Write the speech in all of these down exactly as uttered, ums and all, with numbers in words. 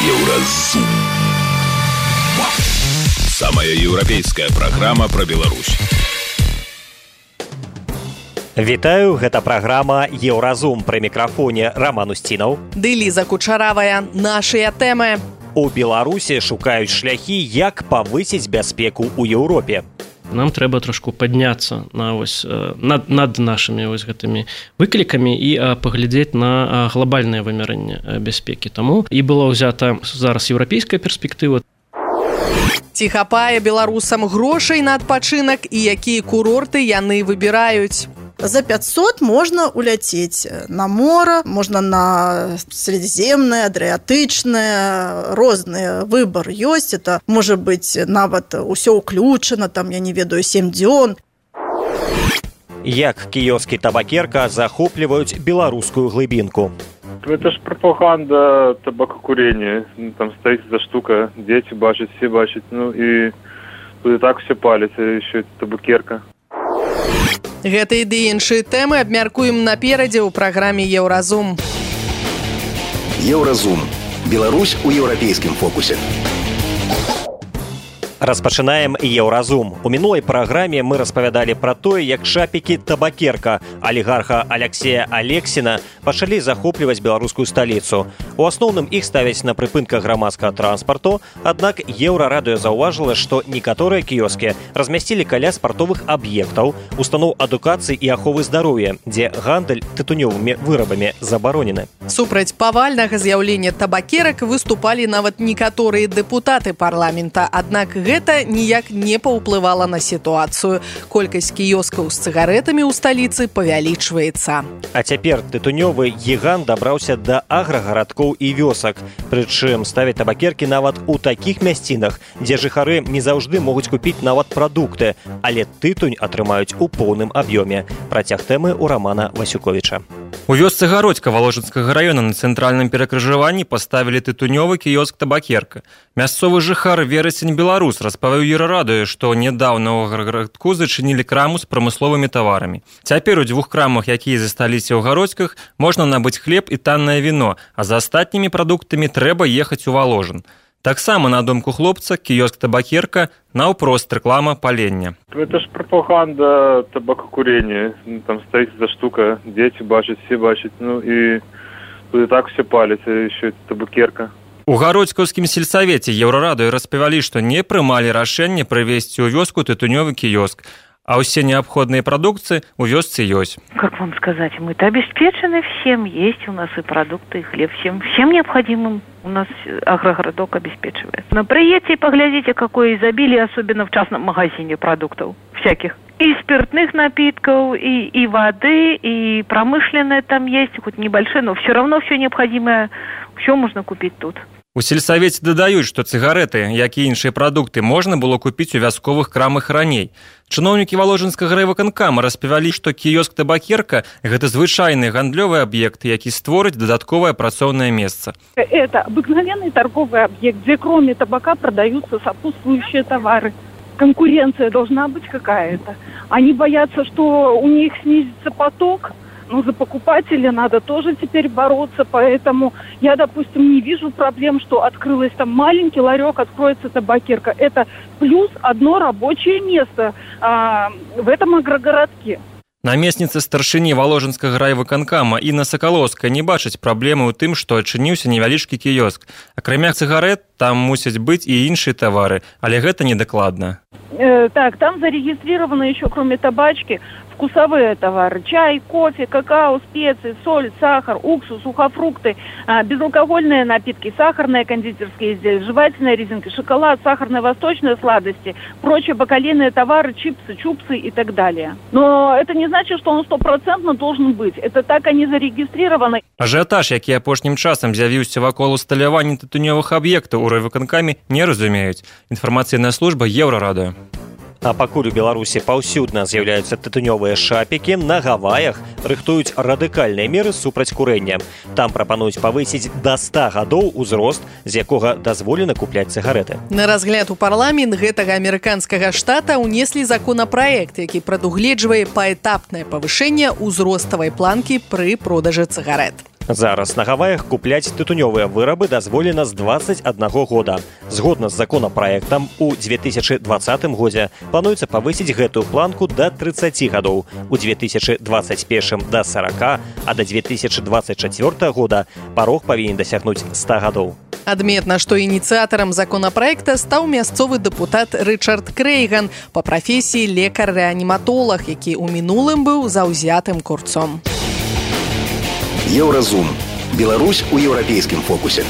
Еўразум. Самая еўрапейская праграма пра Беларусь. Вітаю, гэта праграма «Еўразум». Пры мікрафоне Роман Устінаў. Ды Ліза Кучаравая. Нашыя тэмы. У Беларусі шукаюць шляхі, як павысіць бяспеку ў Еўропе. Нам трэба трошку падняцца на ось, над, над нашымі ось гэтымі выклікамі і паглядзець на глобальнае вымярэнне бяспекі. Таму і была ўзята зараз еўрапейская перспектыва. Ці хапае беларусам грошай на адпачынак і якія курорты яны выбіраюць? За пятьсот можно уляцець на мора, можно на средиземное, адриатычное, розны выбор ёсць. Это может быть нават усё ўключана, там, я не ведаю, сем дзён. Як кіёскі табакерка захопліваюць беларускую глыбінку? Это ж пропаганда табакокурения. Там стоит за штука, дети бачат, все бачат. Ну и тут и так все палят, еще это табакерка. Гэта і ды іншыя тэмы абмяркуем наперадзе ў праграме «Еўразум». Еўразум. Беларусь у еўрапейскім фокусе. Распачынаем «Еўразум». У мінулай праграме мы распавядалі пра тое, як шапікі табакерка алігарха Аляксея Алексіна пачалі захопліваць беларускую сталіцу. У асноўным іх ставяць на прыпынках грамадскага транспарту, аднак Еўрарадыё заўважыла, што некаторыя кіёскі размясцілі каля спартовых аб'ектаў, устаноў адукацыі і аховы здароўя, дзе гандаль тытунёвымі вырабамі забаронены. Супраць павальнага з'яўлення табакерак выступалі нават некаторыя дэпутаты парламента, аднак гэта ніяк не паўплывала на сітуацыю. Колькасць кіёскаў з цыгарэтамі ў сталіцы павялічваецца. А цяпер тытунёвы гігант дабраўся да аграгарадкоў і вёсак. Прычым ставяць табакеркі нават у такіх мясцінах, дзе жыхары не заўжды могуць купіць нават прадукты, але тытунь атрымаюць у поўным аб'ёме. Працяг тэмы у Романа Васюковіча. У вёсцы Гародзька Валожынскага раёна на цэнтральным перакрыжаванні паставілі тытунёвы кіёск табакерка. Мясцовы жыхар Верасень Беларус распавёў Еўрарадыё, што нядаўна ў аграгарадку зачынілі краму з прамысловымі таварамі. Цяпер у дзвюх крамах, якія засталіся ў Гародзьках, можна набыць хлеб і таннае віно, а за астатнімі прадуктамі трэба ехаць у Валожын. Таксама, на думку хлопца, кіёск табакерка наўпрост рэклама палення. Это ж пропаганда табакокурения. Там стоит за штука, дети бачат, все бачат. Ну и тут и так все палят, еще это табакерка. У гародзькаўскім сельсавеце Еўрарадыё распавялі, што не прымалі рашэнне прывесці ў вёску тытунёвы кіёск, а все необходные продукции у вёсцы есть. Как вам сказать, мы-то обеспечены всем, есть у нас и продукты, и хлеб, всем, всем необходимым у нас агрогородок обеспечивает. Но приедьте и поглядите, какое изобилие, особенно в частном магазине продуктов всяких. И спиртных напитков, и, и воды, и промышленное там есть, хоть небольшое, но все равно все необходимое, все можно купить тут. У сельсавеце дадаюць, што цыгарэты, як і іншыя прадукты, можна было купіць у вясковых крамах раней. Чыноўнікі Валожынскага райвыканкама распавялі, што кіёск табакерка – гэта звычайны гандлёвы аб'ект, які створыць дадатковае працоўнае месца. Это обыкновенный торговый объект, где кроме табака продаются сопутствующие товары. Конкуренция должна быть какая-то. Они боятся, что у них снизится поток. Ну, за покупателя надо тоже теперь бороться, поэтому я, допустим, не вижу проблем, что открылось там маленький ларек, откроется табакерка. Это плюс одно рабочее место а, в этом агрогородке. Намесніца старшыні Валожынскага райвыканкама Інна Сакалоўская не бачыць праблемы ў тым, што адчыніўся невялічкі кіёск. Акрамя цыгарэт, там мусяць быць і іншыя тавары, але гэта недакладна. Э, так, там зарегистрировано еще, кроме табачки, вкусовые товары. Чай, кофе, какао, специи, соль, сахар, уксус, сухофрукты, безалкогольные напитки, сахарные кондитерские изделия, жевательная резинка, шоколад, сахарные восточные сладости, прочие бакалейные товары, чипсы, чупсы и так далее. Но это не значит, что он стопроцентно должен быть. Это так они зарегистрированы. Ажыятаж, які апошнім часам з'явіўся вакол усталявання тытунёвых аб'ектаў у райвыканкаме, не разумеюць. Інфармацыйная служба Еўрарадыё. А пакуль у Беларусі паўсюдна з'яўляюцца тытунёвыя шапікі, на Гаваях рыхтуюць радыкальныя меры супраць курэння. Там прапануюць павысіць да ста гадоў узрост, з якога дазволена купляць цыгарэты. На разгляд у парламент гэтага амерыканскага штата ўнеслі законапраект, які прадугледжвае паэтапнае павышэнне ўзроставай планкі пры продажы цыгарэт. Зараз на Гаваях купляць тытунёвыя вырабы дазволена з двадцать аднаго года. Згодна з законапраектам, у две тысячи двадцатым годзе плануецца павысіць гэтую планку да тридцати гадоў, у две тысячи двадцать первым да сорока, а да две тысячи двадцать четвёртага года парог павінен дасягнуць ста гадоў. Адметна, што ініцыятарам законапраекта стаў мясцовы дэпутат Рычард Крэйган, па прафесіі лекар-рэаніматолаг, які ў мінулым быў заўзятым курцом. Еўразум. Беларусь у еўрапейскім фокусе.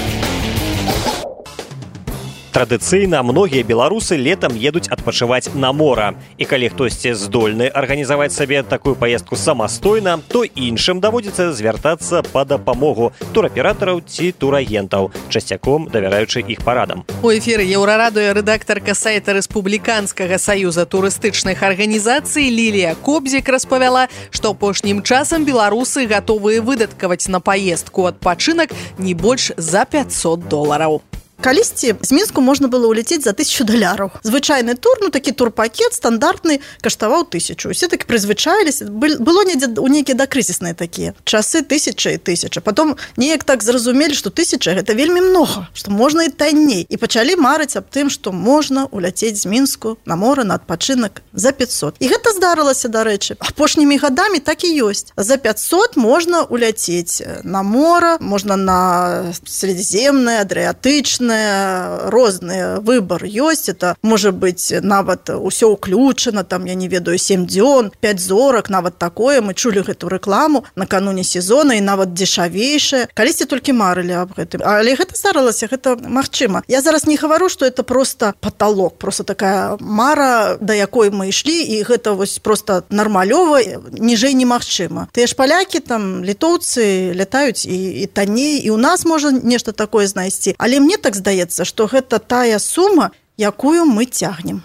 Традыцыйна многія беларусы летам едуць адпачываць на мора. І калі хтосьці здольны арганізаваць сабе такую паездку самастойна, то іншым даводзіцца звяртацца па дапамогу тураператараў ці турагентаў, часцяком давяраючы іх парадам. У эфіры Еўрарадыё рэдактарка сайта Рэспубліканскага саюза турыстычных арганізацый Лілія Кобзік распавяла, што апошнім часам беларусы гатовыя выдаткаваць на паездку адпачынак не больш за пятьсот долараў. Калісьці з Мінску можна было ўляцець за тысячу даляраў. Звычайны тур, ну такі турпакет стандартны, каштаваў тысячу. Усе так прызвычаіліся. Было недзе у нейкія дакрызісныя такія. Часы тысяча і тысяча. Потом неяк так зразумелі, што тысяча гэта вельмі многа, што можна і танней. І пачалі марыць аб тым, што можна ўляцець з Мінску на мора на адпачынак за пятьсот. І гэта здарылася, дарэчы. Апошнімі гадамі так і ёсць. За пятьсот можна ўляцець на мора, можна на Средиземнае, Адриатычнае, розны выбор ёсць. Это можа быць нават усё ўключана, там я не ведаю сем дзён, пять зорак, нават такое. Мы чулі гэту рэкламу накануне сезона і нават дзешавейшая. Калісьці толькі марылі аб гэтым. Але гэта здарылася, гэта магчыма. Я зараз не гавару, што это просто паталок, просто такая мара, да якой мы ішлі, і гэта вось просто нармалёва, ніжэй немагчыма. Тыя ж палякі, там літоўцы лятаюць і, і танней, і у нас можа нешта такое знайсці. Але мне так здаецца, што гэта тая сума, якую мы цягнем.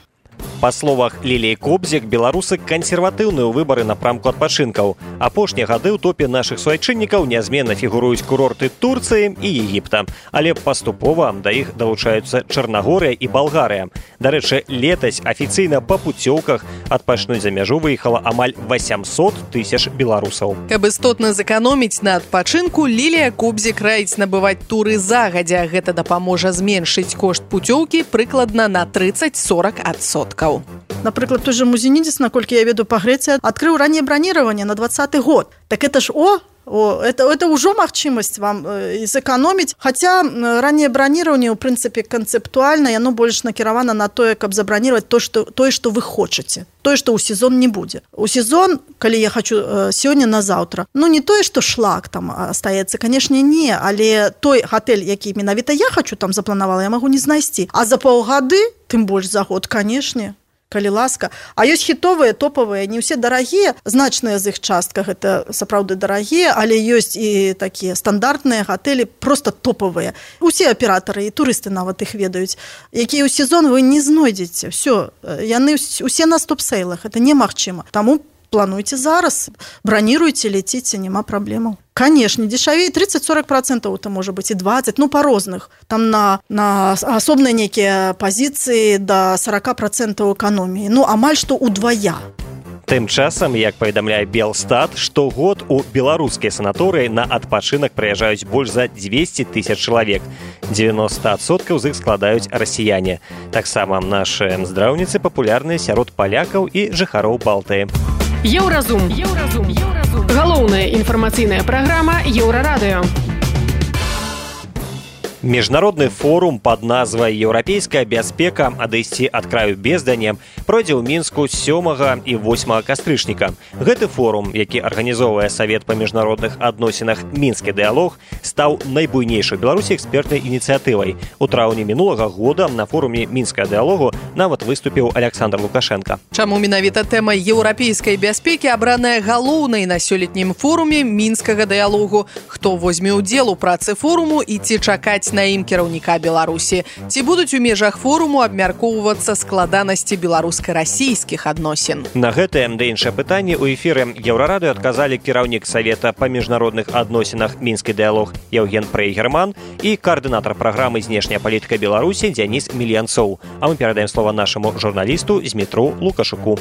Па словах Ліліі Кобзік, беларусы кансерватыўныя ў выбары напрамку адпачынкаў. Апошнія гады ў топе нашых суайчыннікаў нязменна фігуруюць курорты Турцыі і Егіпта, але паступова да іх далучаюцца Чарнагорыя і Балгарыя. Дарэчы, летась афіцыйна па пуцёўках адпачнуць за мяжу выехала амаль восемьсот тысяч беларусаў. Каб істотна зэканоміць на адпачынку, Лілія Кобзік раіць набываць туры загадзя. Гэта дапаможа зменшыць кошт пуцёўкі прыкладна на тридцать-сорок адсоткаў. Напрыклад, той же Музенідзіс, наколькі я веду па Грэцыі, адкрыў ранняе браніраванне на двадцаты год. Так это ж о, о это, это ўжо магчымасць вам э, зэканоміць. Хаця ранняе браніраванне, ў прынцыпе, канцэптуальна, яно больш накіравана на тое, каб забраніраваць то, што, тое, што вы хочаце. Тое, што ў сезон не будзе. У сезон, калі я хочу э, сёння на заўтра, ну не тое, што шлак там астаецца, канешне, не, але той гатэль, які менавіта я хочу там запланавала, я магу не знайсці. А за паўгады, тым больш за год, канешне, калі ласка. А ёсць хітовыя, топавыя, не ўсе дарагія, значныя з іх частка, гэта сапраўды дарагія, але ёсць і такія стандартныя гатэлі, просто топавыя. Усе аператары і турысты нават іх ведаюць, якія ў сезон вы не знойдзеце. Всё, яны усе на стоп-сейлах, это немагчыма. Таму плануйце зараз, браніруйце, леціце, няма праблемаў. Конечно, дешавей тридцать-сорок процентов это может быть и двадцать, ну по розных. Там на, на асобныя некія пазіцыі до сорок процентов эканоміі. Ну, амаль што удвая. Тым часам, як паведамляе Белстат, штогод у беларускія санаторыі на адпачынак прыязджаюць больш за двести тысяч чалавек. девяносто адсоткаў з іх складаюць расіяне. Таксама нашы здраўніцы папулярныя сярод палякаў і жыхароў Балтыі. Еўразум. Еўразум. Еўразум. Галоўная інфармацыйная праграма Еўрарадыё. Міжнародны форум пад назвай «Еўрапейская бяспека. Адысці ад краю бездані» пройдзе ў Мінску сёмага і восьмага кастрычніка. Гэты форум, які арганізоўвае Савет па міжнародных адносінах «Мінскі дыялог», стаў найбуйнейшай у Беларусі экспертнай ініцыятывай. У траўні мінулага года на форуме «Мінскага дыялогу» нават выступіў Александр Лукашенко. Чаму менавіта тэма еўрапейскай бяспекі абраная галоўнай на сёлетнім форуме «Мінскага дыялогу»? Хто возьме ўдзел у працы форуму і ці чакаць на ім кіраўніка Беларусі? Ці будуць у межах форуму абмяркоўвацца складанасці беларуска-расійскіх адносін? На гэтае да іншае пытанне ў эфіры Еўрарадыё адказалі кіраўнік Савета па міжнародных адносінах «Мінскі дыялог» Яўген Прейгерман і каардынатар праграмы «Знешняя палітыка Беларусі» Дзяніс Мільянцоў. А мы перадаем слова нашаму журналісту Змітру Лукашуку.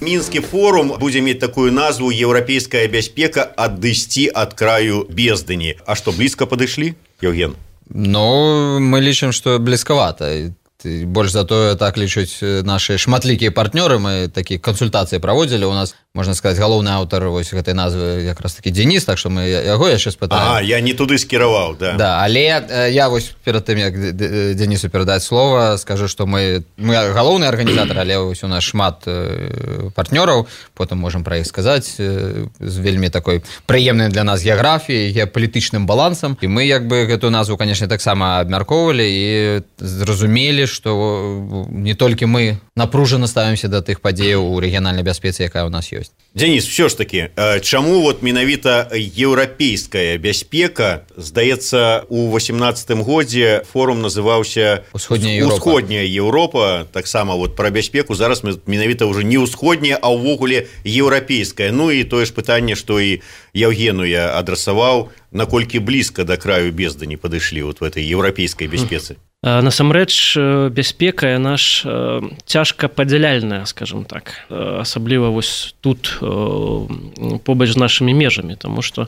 Мінскі форум будзе мець такую назву «Еўрапейская бяспека адысці ад краю бездыні». А што, блізка падышлі, Евген? Ну, мы лічым, што блізкавата. Больш за тое, так лічаць нашы шматлікія партнёры. Мы такія кансультацыі праводзілі. У нас, можна сказаць, галоўны аўтар вось гэтай назвы якраз такі Дзеніс, так што мы яго яшчэ спытаем. А, я не туды скіраваў, да. Да, але я вось перад тым, як Дзенісу перадаць слова, скажу, што мы, мы галоўны арганізатар, але вось у нас шмат партнёраў, потым можам пра іх сказаць, з вельмі такой прыемнай для нас геаграфіяй, геапалітычным балансам. І мы як бы гэту назву, канешне, таксама абмяркоўвалі і зразумелі, што не толькі мы напружана ставімся да тых падзеяў у рэгіянальнай бяспецы, якая ў нас ёсць. Дзеніс, все ж таки, чаму вот менавіта еўрапейская бяспека, здаецца, у восемнадцатым годзе форум называўся «Усходняя Еўропа». «Усходняя Еўропа», таксама вот пра бяспеку, зараз мы менавіта ўжо не ўсходняя, а ўвогуле еўрапейская. Ну і тое ж пытанне, што і Евгену я адрасаваў, наколькі блізка да краю бездыні падышлі вот в этой еўрапейскай бяспецы. Насамрэч, бяспека яна ж цяжка падзяляльная, скажем так, асабліва вось тут побач з нашымі межамі, таму што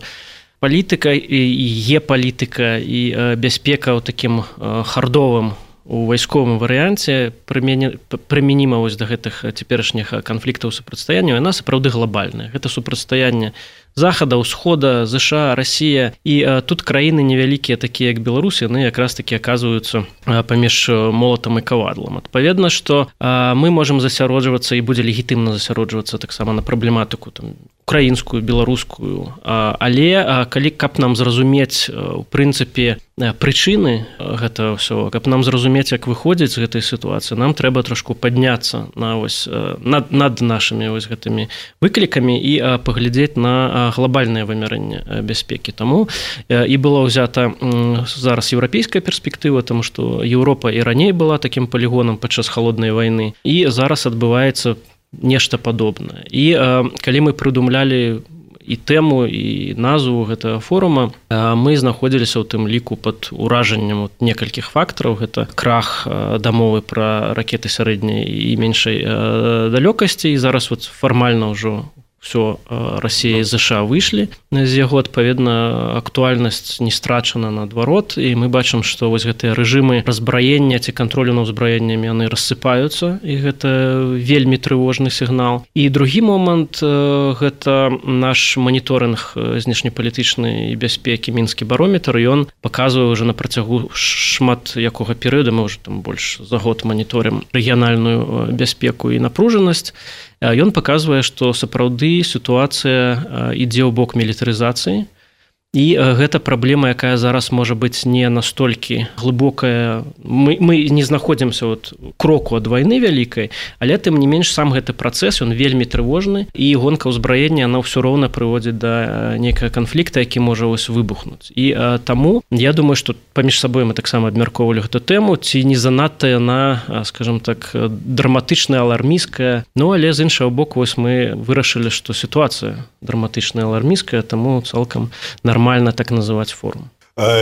палітыка і геапалітыка і бяспека ў такім хардовым у вайсковым варыянце прымяніма вось да гэтых цяперашніх канфліктаў супрацьстаянняў, яна сапраўды глобальная. Гэта супрацьстаянне захада, ўсхода, ЗША, Расія. І а, тут краіны невялікія, такія як Беларусь, яны якраз такі аказваюцца а, паміж молатам і кавадлам. Адпаведна, што а, мы можам засяроджвацца і будзе легітымна засяроджвацца таксама на праблематыку там, украінскую, беларускую. А, але а, калі каб нам зразумець у прынцыпе прычыны гэта ўсё, каб нам зразумець, як выходзіць з гэтай сітуацыі, нам трэба трошку падняцца на вось над, над нашымі вось гэтымі выклікамі і а, паглядзець на глобальнае вымярэнне бяспекі. Таму і была ўзята зараз еўрапейская перспектыва, таму што Еўропа і раней была такім палігонам падчас халоднай вайны, і зараз адбываецца нешта падобнае. І калі мы прыдумлялі і тэму, і назву гэтага форума, мы знаходзіліся ў тым ліку пад уражаннем некалькіх фактараў. Гэта крах дамовы пра ракеты сярэдняй і меншай далёкасці, і зараз вот фармальна ўжо все, Расія і ЗША выйшлі з яго, адпаведна, актуальнасць не страчана наадварот, і мы бачым, што вось гэтыя рэжымы разбраення ці кантролю над узбраеннямі яны рассыпаюцца, і гэта вельмі трывожны сігнал. І другі момант гэта наш маніторынг знешнепалітычнай бяспекі, мінскі барометр, ён паказвае ўжо на працягу шмат якога перыяда, мы ўжо там больш за год маніторым рэгіянальную бяспеку і напружанасць. Ён паказвае, што сапраўды сітуацыя ідзе ў бок мілітарызацыі, і гэта праблема, якая зараз можа быць не настолькі глыбокая. Мы, мы не знаходзімся от кроку ад вайны вялікай, але тым не менш сам гэты працэс, ён вельмі трывожны, і гонка ўзбраення, она ўсё роўна прыводзіць да нейкага канфлікта, які можа ось выбухнуць. І а, таму я думаю, што паміж сабой мы таксама абмяркоўвалі гэту тэму, ці не занадта яна, скажем так, драматычная, алармійская. Ну, але з іншага боку, ось мы вырашылі, што сітуацыя драматычная, алармійская, таму цалкам нормально нормально так называть форум.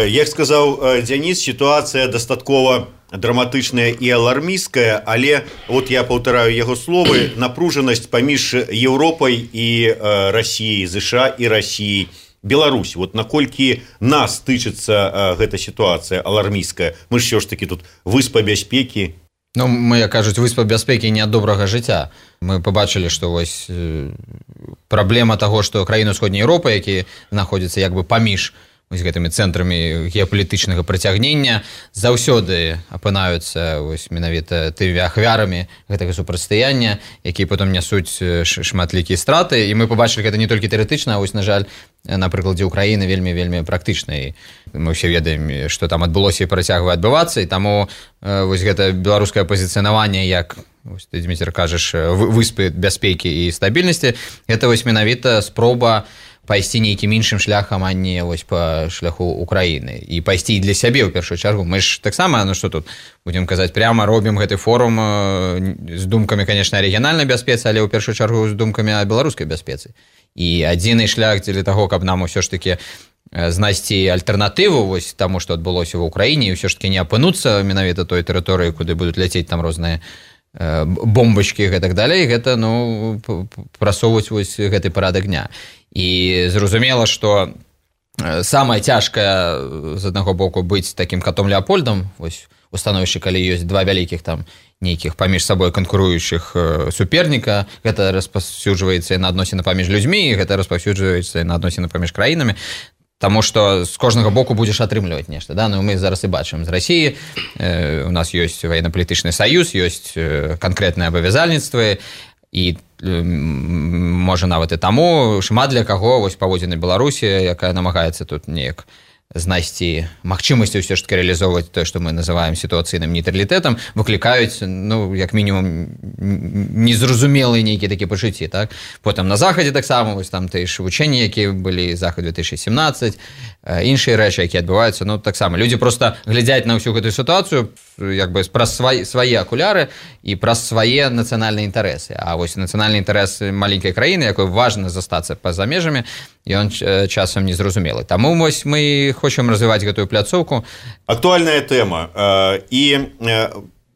Як сказаў Дзяніс, сітуацыя дастаткова драматычная і алармійская, але вот я паўтараю яго словы, напружанасць паміж Еўропай і Расіяй, ЗША і Расіяй, Беларусь. Вот наколькі нас тычыцца гэта сітуацыя алармійская? Мы ж ўсё ж такі тут выспа бяспекі. Ну, мы, як кажуць, выспа бяспекі не ад добрага жыцця. Мы пабачылі, што вось праблема таго, што краіны ўсходняй Еўропы, якія знаходзяцца як бы паміж вось гэтымі цэнтрамі геапалітычнага прыцягнення, заўсёды апынаюцца вось менавіта тымі ахвярамі гэтага супрацьстаяння, якія потым нясуць шматлікія страты. І мы пабачылі гэта не толькі тэарэтычна, а вось, на жаль, на прыкладзе Украіны вельмі вельмі практычна. І мы ўсе ведаем, што там адбылося і працягвае адбывацца, і таму вось гэта беларускае пазіцыянаванне як, вось ты, Дзміцер, кажаш, выспы бяспекі і стабільнасці, гэта вось менавіта спроба пайсці нейкім іншым шляхам, а не вось па шляху Украіны. І пайсці і для сябе, ў першую чаргу. Мы ж таксама, ну што тут, будзем казаць, пряма робім гэты форум з думкамі, канешне, рэгіянальнай бяспецы, але ў першую чаргу з думкамі о беларускай бяспецы. І адзіны шлях дзеля таго, каб нам усё ж такі знайсці альтэрнатыву вось таму, што адбылося ва ўкраіне, і ўсё ж такі не апынуцца менавіта той тэрыторыі, куды будуць ляцець там розныя бомбачкі і гэтак далей, гэта ну, прасоўваць вось гэты парадак дня. І зразумела, што самае цяжкае з аднаго боку быць такім катом Леапольдам, вось у становішчы, калі ёсць два вялікіх там нейкіх паміж сабой канкуруючых суперніка, гэта распаўсюджваецца на адносіны паміж людзьмі, гэта распаўсюджваецца на адносіны паміж краінамі. Таму што з кожнага боку будзеш атрымліваць нешта. Да? Ну, мы зараз і бачым з Расіі, э, у нас ёсць ваенна-палітычны саюз, ёсць канкрэтныя абавязальніцтвы, і э, можа нават і таму шмат для каго вось паводзіны Беларусі, якая намагаецца тут неяк знайсці магчымасці ўсё ж таки рэалізоўваць тое, што мы называем сітуацыйным нейтралітэтам, выклікаюць, ну, як мінімум, незразумелыя нейкія такія пачуцці, так? Потым на Захадзе таксама, вось там тыя ж вучэнні, якія былі Захад две тысячи семнадцать, іншыя рэчы, якія адбываюцца, ну, таксама. Людзі проста глядзяць на ўсю гэтую сітуацыю як бы праз свае, свае акуляры і праз свае нацыянальныя інтарэсы. А вось нацыянальны інтарэс маленькай краіны, якой важна застацца па-за межамі, ён часам незразумелы. Таму вось мы хочам развіваць гэтую пляцоўку. Актуальная тэма. І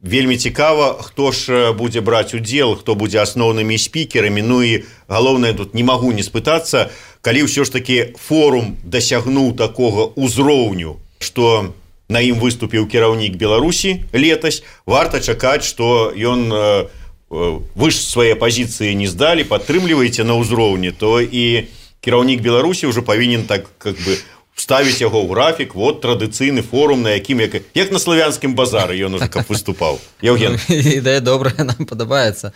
вельмі цікава, хто ж будзе браць удзел, хто будзе асноўнымі спікерамі. Ну і галоўнае, тут не магу не спытацца, калі ўсё ж такі форум дасягнуў такога ўзроўню, што на ім выступіў кіраўнік Беларусі летась, варта чакаць, што ён вы ж свае пазіцыі не здалі, падтрымліваеце на ўзроўні, то і кіраўнік Беларусі ўжо павінен так как бы вставіць яго ў графік, вот традыцыйны форум, на якім як, як на славянскім базары ён уже каб выступаў. Яўген. Ідэя добрая, нам падабаецца.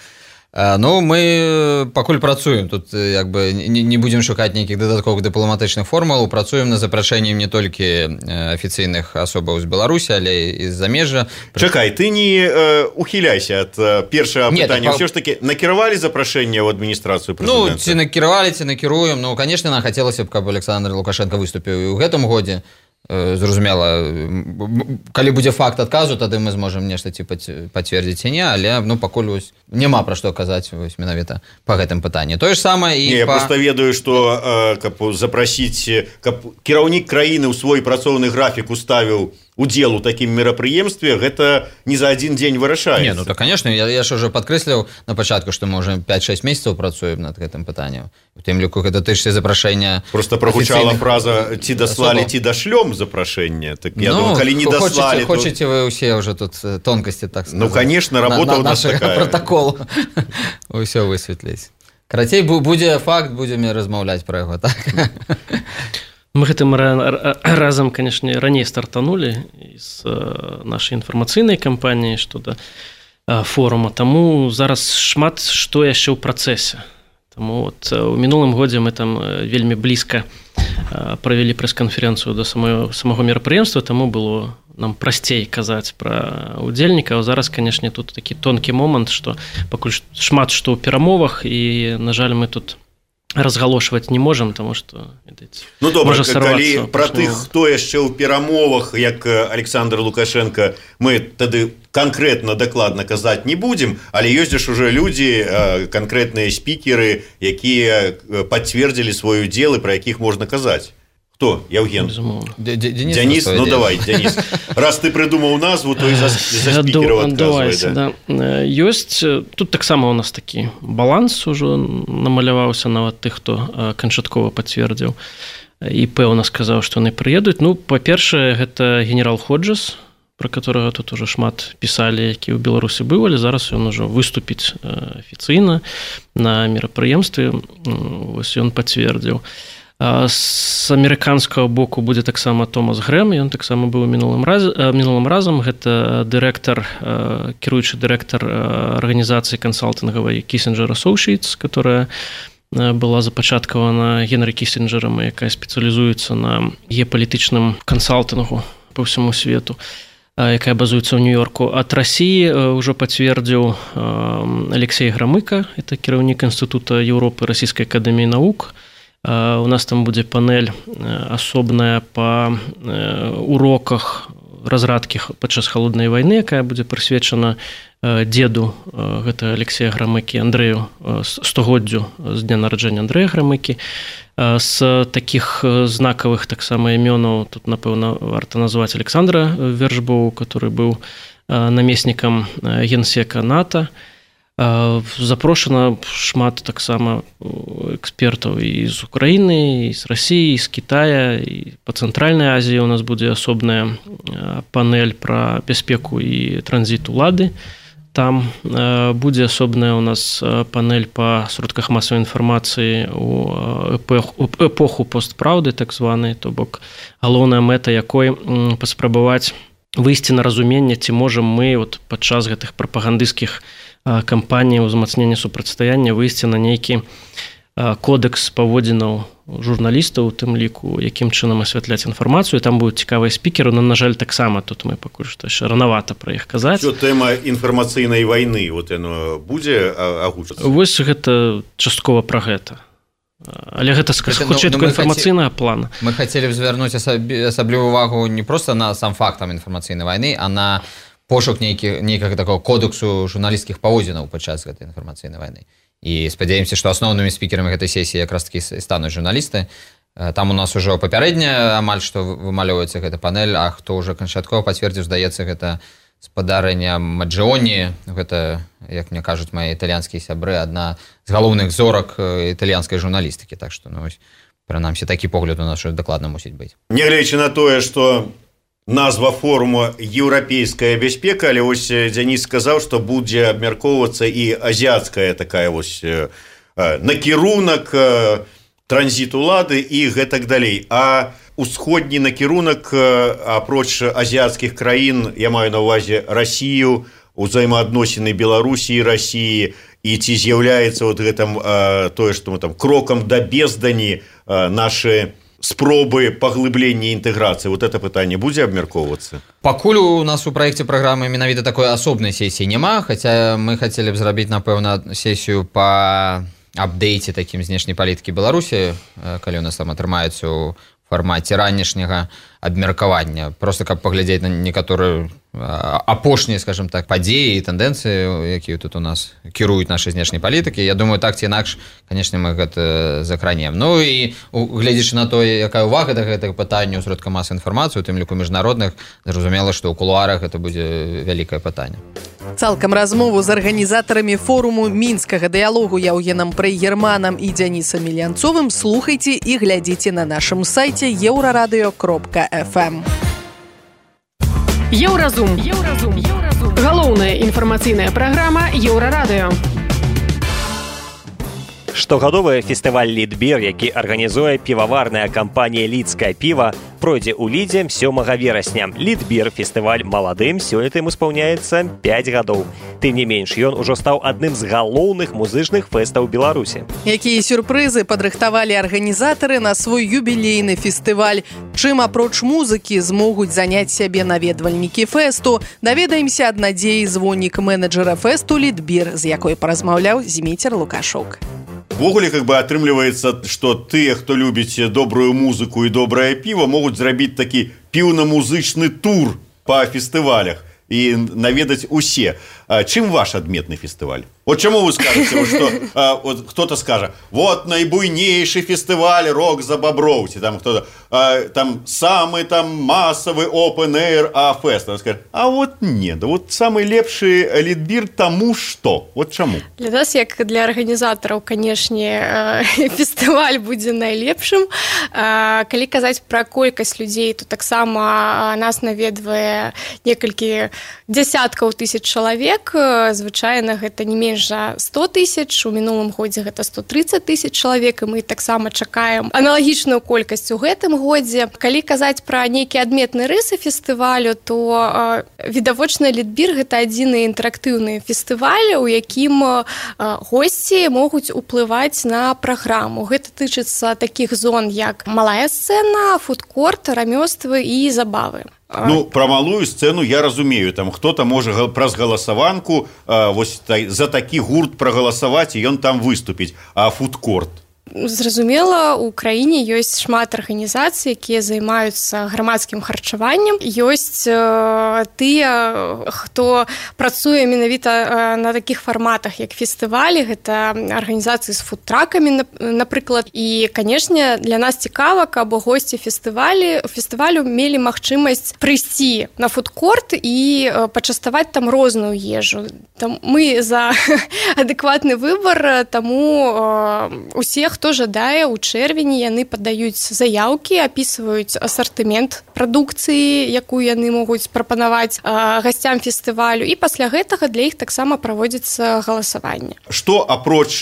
Ну, мы пакуль працуем тут, як бы не будзем шукаць нейкіх дадатковых дыпламатычных формул, працуем над запрашэннем не толькі афіцыйных асобаў з Беларусі, але і з замежжа. Чакай, ты не э, ухіляйся ад э, першага пытання. Ўсё ж такі накіравалі запрашэнне ў адміністрацыю прэзідэнта? Ну, ці накіравалі, ці накіруем. Ну, конечно, нам хацелася б, каб Александр Лукашенко выступіў і ў гэтым годзе. Зразумела, калі будзе факт адказу, тады мы зможам нешта ці пацвердзіць ці не, але ну, пакуль вось, няма пра што казаць вось, менавіта па гэтым пытанні. Тое ж самае і не, па... Я проста ведаю, што каб запрасіць, каб кіраўнік краіны ў свой працоўны графік уставіў удзел у такім мерапрыемстве, гэта не за адзін дзень вырашаецца. Не, ну то, конечно, я, я ж уже падкрэсліў на пачатку, што мы уже пять-шесть месяцаў працуем над гэтым пытаннем. У тым ліку гэта тычыцца запрашэння. Просто прагучала фраза ці даслалі, ці дашлём запрашэнне. Так я ну, думаю, калі не даслалі, то... Хочаце вы ўсе уже тут тонкасці, так сказать. Ну, конечно, работа на, на, у нас такая. Протокол. Усё высветліць. Карацей, будзе факт, будзем размаўляць пра яго, так? Мы гэтым разам, канешне, раней стартанулі з нашай інфармацыйнай кампаніі што да форума, таму зараз шмат што яшчэ ў працэсе. Таму от, у мінулым годзе мы там вельмі блізка правялі прэс-канферэнцыю да самого, самого мерапрыемства, таму было нам прасцей казаць пра удзельнікаў. Зараз, канешне, тут такі тонкі момант, што пакуль шмат што ў перамовах, і, на жаль, мы тут разгалошваць не можам, таму што ну добра, калі пра тых, хто яшчэ ў перамовах, як Александр Лукашенко, мы тады канкрэтна дакладна казаць не будзем, але ёсць ж уже людзі, канкрэтныя спікеры, якія пацвердзілі свой удзел і пра якіх можна казаць. Кто? Яўген? Денис, Денис? Ну дело. Давай, Денис. Раз ты придумал назву, то и за, за спикеров отказывай. Да. Да. Ёсць, тут таксама у нас такі баланс ужо намаляваўся нават тых, хто канчаткова пацвердзіў і пэўна сказаў, што яны прыедуць. Ну, па-першае, гэта генерал Ходжес, про которого тут уже шмат пісалі, які ў Беларусі быў, але зараз ён ужо выступіць афіцыйна на мерапрыемстве. Вось ён пацвердзіў. З амерыканскага боку будзе таксама Томас Грэм, ён таксама быў мінулым, раз, мінулым разам, гэта дырэктар, кіруючы дырэктар арганізацыі кансалтынгавай Kissinger Associates, которая была запачаткавана Генрі Кісінджерам, якая спецыялізуецца на геапалітычным кансалтынгу па ўсяму свету, якая базуецца ў Нью-Йорку. Ад Расіі ўжо пацвердзіў Алексей Грамыка, это кіраўнік Інстытута Еўропы Расійскай акадэміі навук. У нас там будзе панель асобная па уроках разрадкі падчас халоднай вайны, якая будзе прысвечана деду гэта Алексея Грамыкі, Андрэю, стагоддзю з дня нараджэння Андрэя Грамыкі. З такіх знакавых таксама імёнаў тут, напэўна, варта назваць Александра Вершбоу, который быў намеснікам генсека НАТО. Запрошана шмат таксама экспертаў і з Украіны, і з Расіі, і з Кітая, і па Цэнтральнай Азіі у нас будзе асобная панель пра бяспеку і транзіт улады. Там будзе асобная у нас панель па сродках масавай інфармацыі у эпоху постпраўды, так званай, то бок галоўная мэта якой паспрабаваць выйсці на разуменне, ці можам мы от падчас гэтых прапагандысцкіх кампаній узмацнення супрацьстаяння выйсці на нейкі кодекс паводзінаў журналістаў, у тым ліку, якім чынам асвятляць інфармацыю. Там будуць цікавыя спікеры, но, на жаль, таксама тут мы пакуль што яшчэ ранавата пра іх казаць. Што тэма інфармацыйнай вайны, вот яно будзе агучацца? Вось гэта часткова пра гэта. Але гэта, хутчэй, такая інфармацыйная плана. Мы хацелі б звярнуць асаблівую увагу не проста на сам факт інфармацыйнай вайны, а на пошук нейкага такого кодексу журналісцкіх паводзінаў падчас гэтай інфармацыйнай вайны. І спадзяемся, што асноўнымі спікерамі гэтай сесіі якраз такі стануць журналісты. Там у нас ужо папярэдня амаль што вымалёўваецца гэта панель, а хто ўжо канчаткова пацвердзіў, здаецца, гэта спадарня Маджоні. Гэта, як мне кажуць мае італьянскія сябры, адна з галоўных зорак італьянскай журналістыкі. Так што, ну, прынамсі, такі погляд у нас дакладна мусіць быць. Нягледзячы на тое, што назва форуму «Еўрапейская бяспека», але вось Дзяніс сказаў, што будзе абмяркоўвацца і азіяцкая такая вось накірунак, транзіт улады і гэтак далей. А усходні накірунак, апроч азіяцкіх краін, я маю на ўвазе Расію, узаемаадносіны Беларусі і Расіі, і ці з'яўляецца вот гэтым тое, што мы там крокам да бездані нашы спробы паглыблення інтэграцыі, вот это пытанне будзе абмяркоўвацца? Пакуль у нас у праекце праграмы менавіта такой асобнай сесіі няма, хаця мы хацелі б зрабіць, напэўна, сесію па апдейце такім знешняй палітыкі Беларусі, калі у нас там атрымаецца ў фармаце ранішняга абмеркавання, просто каб паглядзець на некаторыя апошнія, скажем так, падзеі і тэндэнцыі, якія тут у нас кіруюць нашай знешняй палітыкі. Я думаю, так ці інакш, канешне, мы гэта закранем. Ну і гледзячы на тое, якая ўвага да гэтага пытання ў сродках масавай інфармацыі, у тым ліку міжнародных, зразумела, што ў кулуарах гэта будзе вялікае пытанне. Цалкам размову з арганізатарамі форуму мінскага дыялогу Яўгенам Прыгерманам і Дзянісам Мілянцовым слухайце і глядзіце на нашым сайце еўрарадыё кропка эф эм. Еўразум. Еўразум. Еўразум. Галоўная інфармацыйная праграма Еўрарадыё. Штогадовы фестываль «Лідбір», які арганізуе піваварная кампанія «Лідскае піва», пройдзе ў Лідзе сёмага верасня. «Лідбір» фестываль маладым, сёлета ім испаўняецца пяць гадоў. Тым не менш, ён ужо стаў адным з галоўных музычных фэстаў Беларусі. Якія сюрпрызы падрыхтавалі арганізатары на свой юбілейны фестываль? Чым апроч музыкі змогуць заняць сябе наведвальнікі фэсту? Даведаемся ад Надзеі, звоннік менеджера фэсту «Лідбір», з якой паразмаўляў Зміцер Лукашук. Ввогуле, как бы атрымліваецца, што тыя, хто любіць добрую музыку і добрае піва, могуць зрабіць такі піўна-музычны тур па фестывалях і наведаць усе. Чым ваш адметны фестываль? Вот чему вы скажете, вот, что а, вот кто-то скажет, вот наибуйнейший фестиваль «Рок за Бобровці», там кто-то, а, там самый там массовый open air а-фест. Он скажет, а вот нет, вот самый лепший Лідбір тому что? Вот чему? Для нас, як для арганізатараў, канешне, фестываль будзе найлепшым. Калі казаць пра колькасць людзей, то таксама нас наведвае некалькі дзясяткаў тысяч чалавек. Звычайна гэта не менш за сто тысяч, у мінулым годзе гэта сто тридцать тысяч чалавек, і мы таксама чакаем аналагічную колькасць у гэтым годзе. Калі казаць пра нейкія адметныя рысы фестывалю, то э, відавочна Лідбір гэта адзіны інтэрактыўны фестываль, у якім э, госці могуць уплываць на праграму. Гэта тычыцца такіх зон, як малая сцэна, фудкорт, рамёствы і забавы. Ну, про малую сцену я разумею, там кто-то можа праз галасаванку э, вось та, за такі гурт прагаласаваць, і ён там выступіць. А фудкорт? Зразумела, у краіне ёсць шмат арганізацый, якія займаюцца грамадскім харчаваннем. Ёсць тыя, хто працуе менавіта на такіх фарматах, як фестывалі, гэта арганізацыі з фудтракамі, напрыклад. І, канешне, для нас цікава, каб госці фестывалі, фестывалю мелі магчымасць прыйсці на фудкорт і пачаставаць там розную ежу. Там мы за адэкватны выбар, таму усе, хто жадае, у чэрвені яны падаюць заяўкі, апісваюць асартымент прадукцыі, якую яны могуць прапанаваць гасцям фестывалю, і пасля гэтага для іх таксама праводзіцца галасаванне. Што апроч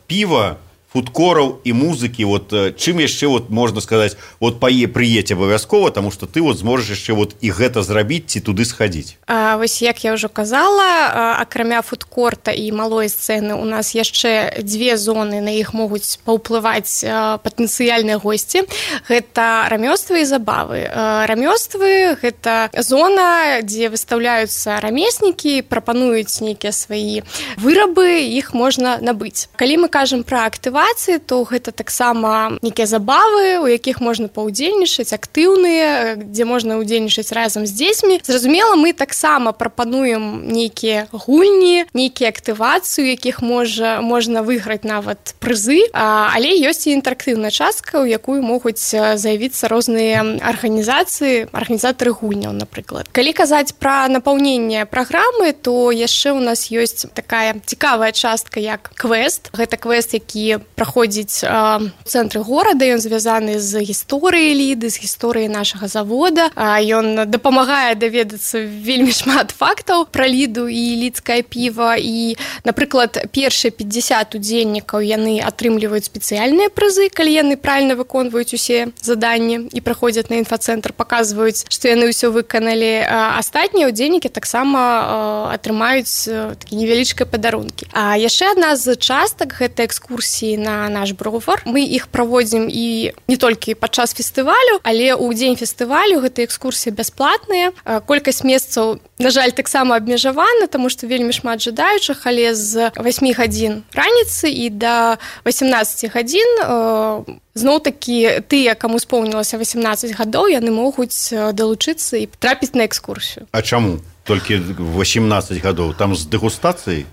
піва, фудкораў і музыкі, вот чым яшчэ вот можна сказаць, вот пае прыедзь абавязкова, таму што ты вот зможаш яшчэ вот і гэта зрабіць ці туды схадзіць. А, вось як я ўжо казала, акрамя фудкорта і малой сцэны у нас яшчэ дзве зоны, на іх могуць паўплываць патэнцыяльныя госці. Гэта рамёствы і забавы. Рамёствы гэта зона, дзе выстаўляюцца рамеснікі, прапануюць нейкія свае вырабы, іх можна набыць. Калі мы кажам пра актывацыю, то гэта таксама нейкія забавы, у якіх можна паўдзельнічаць, актыўныя, дзе можна ўдзельнічаць разам з дзецьмі. Зразумела, мы таксама прапануем нейкія гульні, нейкія актывацыі, у якіх можа, можна выйграць нават прызы, але ёсць і інтэрактыўная частка, у якую могуць заявіцца розныя арганізацыі, арганізатары гульняў, напрыклад. Калі казаць пра напаўненне праграмы, то яшчэ ў нас ёсць такая цікавая частка, як квест. Гэта квест, які праходзіць у цэнтры горада, ён звязаны з гісторыяй Ліды, з гісторыяй нашага завода. Ён дапамагае даведацца вельмі шмат фактаў пра Ліду і лідскае піва. І, напрыклад, першыя пятьдесят удзельнікаў яны атрымліваюць спецыяльныя прызы, калі яны правільна выконваюць усе заданні і праходзяць на інфацэнтр, паказваюць, што яны ўсё выканалі. Астатнія удзельнікі таксама атрымаюць такія невялічкія падарункі. А яшчэ адна з частак гэта экскурсіі на наш бровар. Мы іх праводзім і не толькі падчас фестывалю, але ў дзень фестывалю гэтыя экскурсіі бясплатныя. Колькасць месцаў, на жаль, таксама абмежавана, таму што вельмі шмат жадаючых, але з васьмі гадзін раніцы і да васемнаццаці гадзін зноў-такі тыя, каму споўнілася васемнаццаць гадоў, яны могуць далучыцца і трапіць на экскурсію. А чаму? Толькі васемнаццаць гадоў? Там з дэгустацыяй?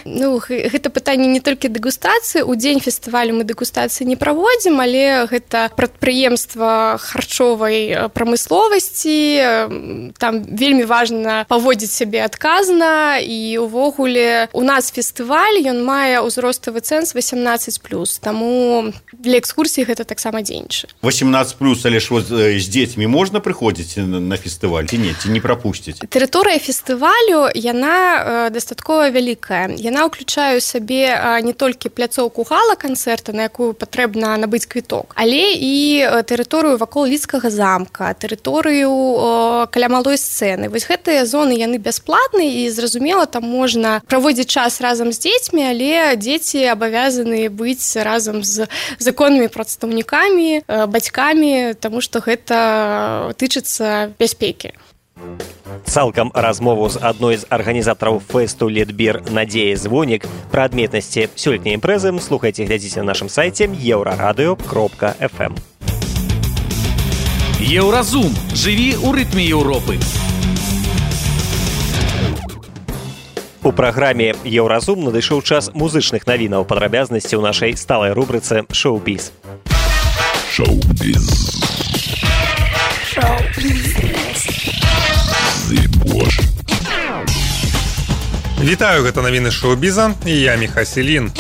Ну, гэта пытанне не толькі дэгустацыі. У дзень фестывалю мы дэгустацыі не праводзім, але гэта прадпрыемства харчовай прамысловасці. Там вельмі важна паводзіць сябе адказна, і увогуле у нас фестываль, ён мае ўзроставы цэнз васемнаццаць плюс, таму для экскурсіі гэта таксама дзейнічае. васемнаццаць плюс, але ж вот з дзецьмі можна прыходзіць на фестываль ці не, ці не прапусціць? Тэрыторыя фестывалю, яна дастаткова вялікая. Яна ўключае ў сабе не толькі пляцоўку гала-канцэрта, на якую патрэбна набыць квіток, але і тэрыторыю вакол Лідскага замка, тэрыторыю каля малой сцэны. Вось гэтыя зоны, яны бясплатныя, і зразумела, там можна праводзіць час разам з дзецьмі, але дзеці абавязаны быць разам з законнымі прадстаўнікамі, бацькамі, таму што гэта тычыцца бяспекі. Цалкам размову з адной з арганізатараў фэсту «Лідбір» Надзеяй Звонік пра адметнасці сёлетняй імпрэзы слухайце, глядзіце на нашым сайце еўрарадыё кропка эф эм. Еўразум. Жыві ў рытме Еўропы. У праграме «Еўразум» надышоў час музычных навінаў, падрабязнасці ў нашай сталай рубрыцы «Шоу-біз». Шоу-біз. Шоу-біз. Вітаю, гэта навіны шоу-біза, і я Міха Селін.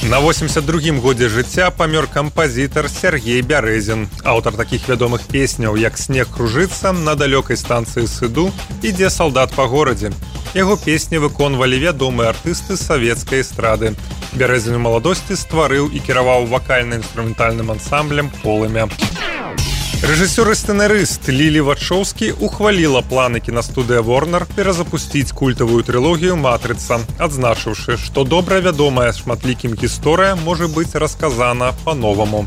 На восемьдесят другім годзе жыцця памёр кампазітар Сергей Бярэзін, аўтар такіх вядомых песняў, як «Снег кружыцца», «На далёкай станцыі сыду», «Ідзе салдат па горадзе». Яго песні выконвалі вядомыя артысты савецкай эстрады. Бярэзін у маладосці стварыў і кіраваў вакальна-інструментальным ансамблем «Полымя». Рэжысёр і сцэнарыст Лілі Вачоўскі ухваліла планы кінастудыя Warner перазапусціць культавую трылогію «Матрыца», адзначыўшы, што добра вядомая шматлікім гісторыя можа быць расказана па-новаму.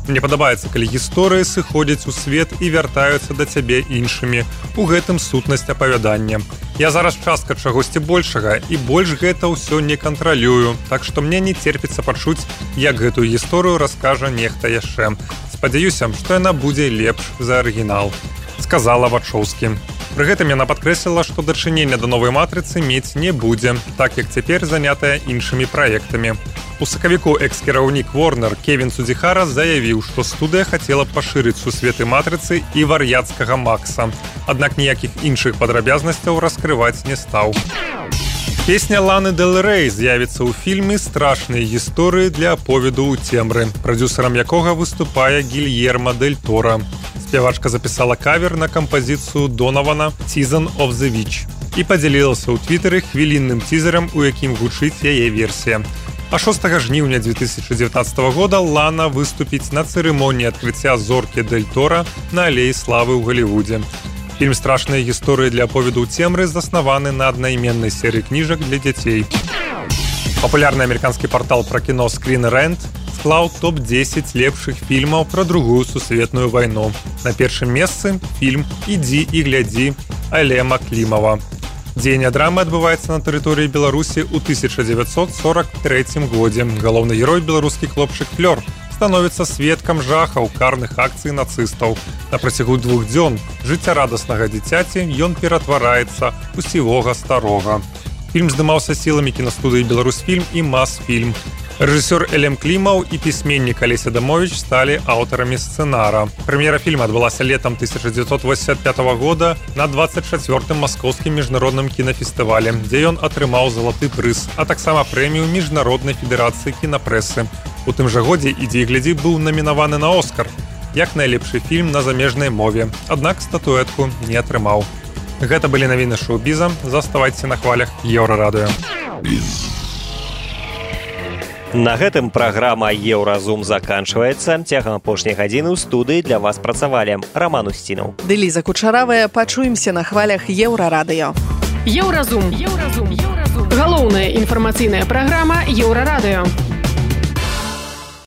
Мне падабаецца, калі гісторыі сыходзяць у свет і вяртаюцца да цябе іншымі. У гэтым сутнасць апавядання. Я зараз частка чагосьці большага, і больш гэта ўсё не кантралюю, так што мне не церпіцца пачуць, як гэтую гісторыю раскажа нехта яшчэ. Спадзяюся, што яна будзе лепш за арыгінал, сказала Вачоўскі. Пры гэтым яна падкрэсліла, што дачынення да новай матрыцы мець не будзе, так як цяпер занятая іншымі праектамі. У сакавіку экс-кіраўнік Warner Кевін Судзіхара заявіў, што студыя хацела пашырыць сусветы матрыцы і вар'яцкага Макса. Аднак ніякіх іншых падрабязнасцяў раскрываць не стаў. Песня Ланы Дель Рей з'явіцца ў фільме «Страшныя гісторыі для аповеду ў цемры», прадзюсарам якога выступае Гільермо Дель Торо. Спявачка запісала кавер на кампазіцыю Донована «Season of the Witch» і падзялілася ў твітары хвілінным цізерам, у якім гучыць яе версія. А шостага жніўня дзве тысячы дзевятнаццатага года Лана выступіць на цырымоніі адкрыцця зоркі Дель Торо на алеі славы ў Галівудзе. Фільм «Страшныя гісторыі для аповеду ў цемры» заснаваны на аднайменнай серыі кніжак для дзяцей. Папулярны амерыканскі партал пра кіно Screen Rant склаў топ дзесяць лепшых фільмаў пра другую сусветную вайну. На першым месцы фільм «Ідзі і глядзі» Алема Клімава. Дзеянне драмы адбываецца на тэрыторыі Беларусі ў тысяча дзевяцьсот сорак трэцім годзе. Галоўны герой, беларускі хлопчык Флёр, становіцца сведкам жахаў карных акцый нацыстаў. На працягу двух дзён жыццярадаснага дзіцяці ён ператвараецца ў сівога старога. Фільм здымаўся сіламі кінастудыі «Беларусьфільм» і «Масфільм». Рэжысёр Элем Клімаў і пісьменнік Алеся Дамовіч сталі аўтарамі сцэнара. Прэм'ера фільма адбылася летам тысяча дзевяцьсот восемьдесят пятого года на двадцать чвёртым маскоўскім міжнародным кінафестывале, дзе ён атрымаў залаты прыз, а таксама прэмію міжнароднай федэрацыі кінапрэсы. У тым жа годзе «Ідзі і глядзі» быў намінаваны на Оскар як найлепшы фільм на замежнай мове, аднак статуэтку не атрымаў. Гэта былі навіны шоу-біза. Заставайце на хвалях Еўрарадыё. На гэтым праграма «Еўразум» заканчваецца. Цягам апошняй гадзіны ў студыі для вас працавалі Раман Устінаў. Ды Ліза Кучаравая. Пачуемся на хвалях Еўрарадыё. Еўразум. Еўразум. Еўразум. Галоўная інфармацыйная праграма Еўрарадыё.